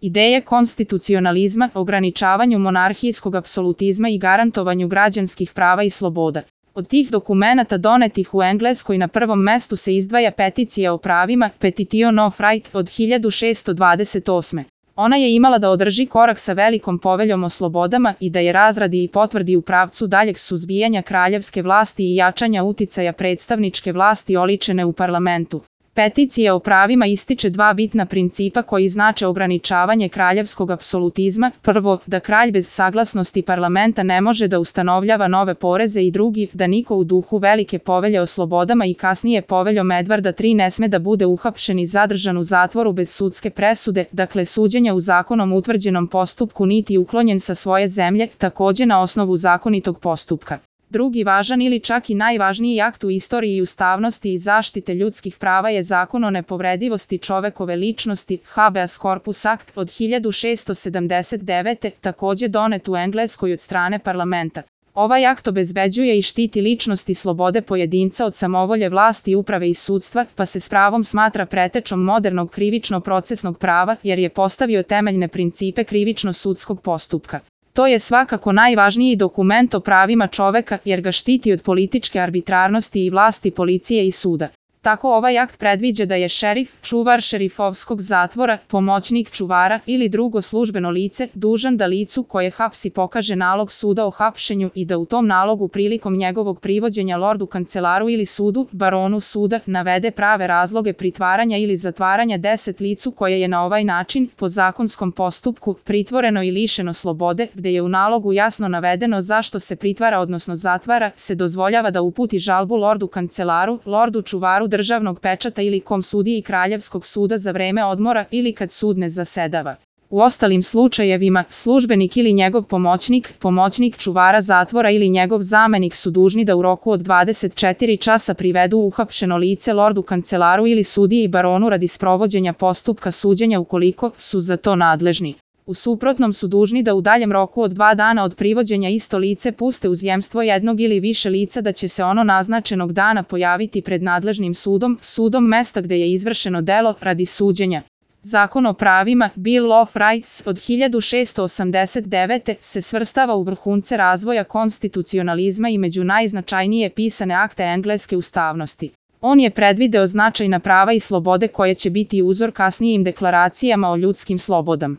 Ideje konstitucionalizma, ograničavanju monarhijskog apsolutizma i garantovanju građanskih prava i sloboda. Od tih dokumenata donetih u Engleskoj na prvom mestu se izdvaja peticija o pravima, Petition of Right od 1628. Ona je imala da održi korak sa velikom poveljom o slobodama i da je razradi i potvrdi u pravcu daljeg suzbijanja kraljevske vlasti i jačanja uticaja predstavničke vlasti oličene u parlamentu. Peticija o pravima ističe dva bitna principa koji znače ograničavanje kraljevskog apsolutizma. Prvo, da kralj bez saglasnosti parlamenta ne može da ustanovljava nove poreze i drugi, da niko u duhu velike povelje o slobodama i kasnije poveljom Edvarda III ne sme da bude uhapšen i zadržan u zatvoru bez sudske presude, dakle suđenja u zakonom utvrđenom postupku niti uklonjen sa svoje zemlje, takođe na osnovu zakonitog postupka. Drugi važan ili čak i najvažniji akt u istoriji ustavnosti i zaštite ljudskih prava je Zakon o nepovredivosti čovekove ličnosti, Habeas Corpus Act od 1679. takođe donet u Engleskoj od strane parlamenta. Ovaj akt obezbeđuje i štiti ličnost i slobode pojedinca od samovolje vlasti, uprave i sudstva, pa se s pravom smatra pretečom modernog krivično-procesnog prava jer je postavio temeljne principe krivično-sudskog postupka. To je svakako najvažniji dokument o pravima čoveka jer ga štiti od političke arbitrarnosti i vlasti policije i suda. Tako ovaj akt predviđa da je šerif, čuvar šerifovskog zatvora, pomoćnik čuvara ili drugo službeno lice dužan da licu koje hapsi pokaže nalog suda o hapšenju i da u tom nalogu prilikom njegovog privođenja lordu kancelaru ili sudu, baronu suda, navede prave razloge pritvaranja ili zatvaranja 10 licu koje je na ovaj način, po zakonskom postupku, pritvoreno i lišeno slobode, gde je u nalogu jasno navedeno zašto se pritvara odnosno zatvara, se dozvoljava da uputi žalbu lordu kancelaru, lordu čuvaru državnog pečata ili kom sudiji kraljevskog suda za vreme odmora ili kad sud ne zasedava. U ostalim slučajevima, službenik ili njegov pomoćnik, pomoćnik čuvara zatvora ili njegov zamenik su dužni da u roku od 24 časa privedu uhapšeno lice lordu kancelaru ili sudiji baronu radi sprovođenja postupka suđenja ukoliko su za to nadležni. U suprotnom su dužni da u daljem roku od 2 dana od privođenja isto lice puste uz jemstvo jednog ili više lica da će se ono naznačenog dana pojaviti pred nadležnim sudom, sudom mesta gde je izvršeno delo, radi suđenja. Zakon o pravima, Bill of Rights od 1689. se svrstava u vrhunce razvoja konstitucionalizma i među najznačajnije pisane akte engleske ustavnosti. On je predvideo značajna prava i slobode koje će biti uzor kasnijim deklaracijama o ljudskim slobodama.